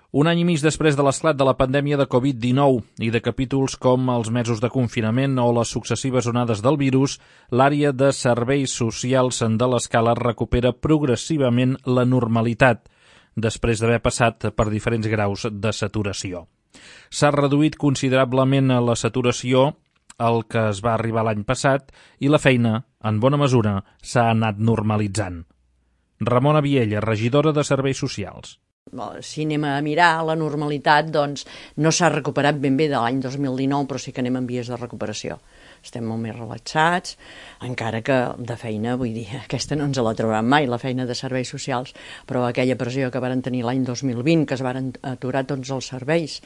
Un any i mig després de l'esclat de la pandèmia de Covid-19 i de capítols com els mesos de confinament o les successives onades del virus, l'àrea de serveis socials de l'Escala recupera progressivament la normalitat, després d'haver passat per diferents graus de saturació. S'ha reduït considerablement la saturació al que es va arribar l'any passat i la feina, en bona mesura, s'ha anat normalitzant. Ramona Viella, regidora de Serveis Socials. Si anem a mirar la normalitat, doncs no s'ha recuperat ben bé de l'any 2019, però sí que anem en vies de recuperació. Estem molt més relaxats, encara que de feina, vull dir, aquesta no ens la trauran mai, la feina de serveis socials, però aquella pressió que varen tenir l'any 2020, que es varen aturar tots els serveis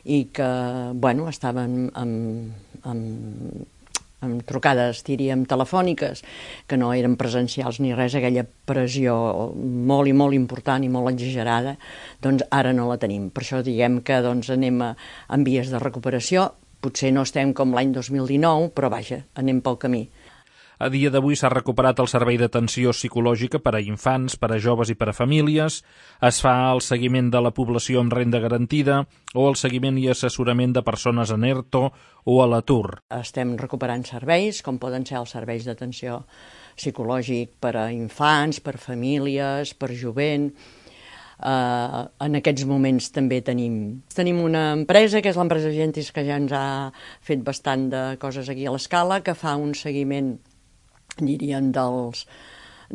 i que, bueno, estaven amb trucades, diríem, telefòniques, que no eren presencials ni res, aquella pressió molt i molt important i molt exagerada, doncs ara no la tenim. Per això diguem que doncs, anem en vies de recuperació, potser no estem com l'any 2019, però vaja, anem pel camí. A dia d'avui s'ha recuperat el servei d'atenció psicològica per a infants, per a joves i per a famílies, es fa el seguiment de la població amb renda garantida o el seguiment i assessorament de persones en ERTO o a l'atur. Estem recuperant serveis, com poden ser els serveis d'atenció psicològic per a infants, per a famílies, per a jovent. En aquests moments també tenim una empresa, que és l'empresa Gentis, que ja ens ha fet bastant de coses aquí a l'Escala, que fa un seguiment, diríem, de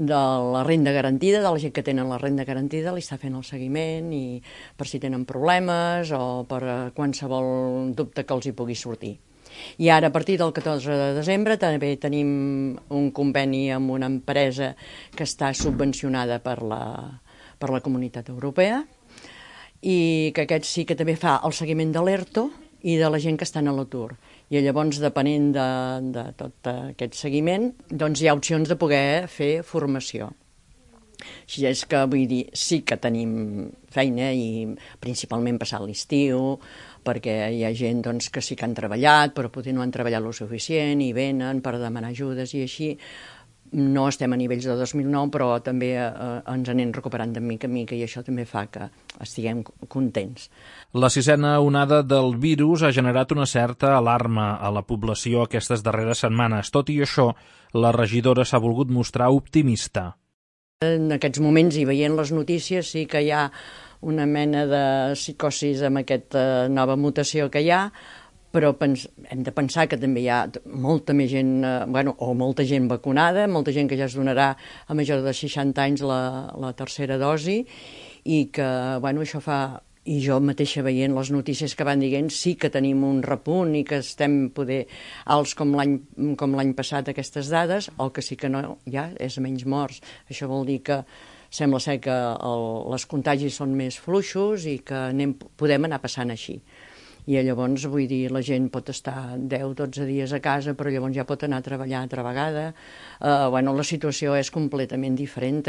la renda garantida, de la gent que tenen la renda garantida, li està fent el seguiment i per si tenen problemes o per qualsevol dubte que els hi pugui sortir. I ara, a partir del 14 de desembre, també tenim un conveni amb una empresa que està subvencionada per la Comunitat Europea i que aquest sí que també fa el seguiment de l'ERTO i de la gent que està a l'atur. I llavors, depenent de tot aquest seguiment, doncs hi ha opcions de poder fer formació. Així és que, vull dir, sí que tenim feina i principalment passat l'estiu, perquè hi ha gent doncs, que sí que han treballat, però potser no han treballat lo suficient i venen per demanar ajudes i així. No estem a nivells de 2009, però també ens anem recuperant de mica en mica i això també fa que estiguem contents. La sisena onada del virus ha generat una certa alarma a la població aquestes darreres setmanes. Tot i això, la regidora s'ha volgut mostrar optimista. En aquests moments, i veient les notícies, sí que hi ha una mena de psicosis amb aquesta nova mutació que hi ha, però hem de pensar que també hi ha molta més gent, o molta gent vacunada, molta gent que ja es donarà a major de 60 anys la tercera dosi i que això fa, i jo mateixa veient les notícies que van dient, sí que tenim un repunt i que estem poder alts com l'any passat aquestes dades, el que sí que no hi ha és menys morts. Això vol dir que sembla ser que els contagis són més fluixos i que podem anar passant així. I llavors, vull dir, la gent pot estar 10-12 dies a casa, però llavors ja pot anar a treballar altra vegada. La situació és completament diferent.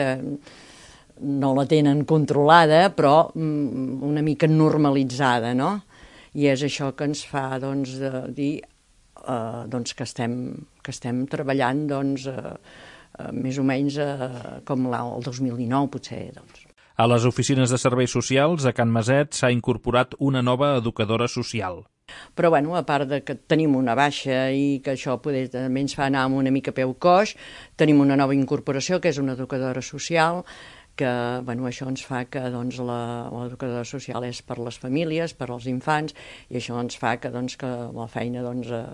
No la tenen controlada, però una mica normalitzada, no? I és això que ens fa dir que estem treballant més o menys com el 2019, potser, A les oficines de serveis socials, a Can Maset, s'ha incorporat una nova educadora social. Però, a part de que tenim una baixa i que això també ens fa anar una mica peu coix, tenim una nova incorporació, que és una educadora social, que això ens fa que l'educadora social és per les famílies, per als infants, i això ens fa que la feina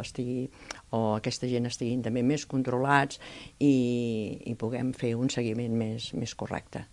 estigui, o aquesta gent estiguin també més controlats i puguem fer un seguiment més correcte.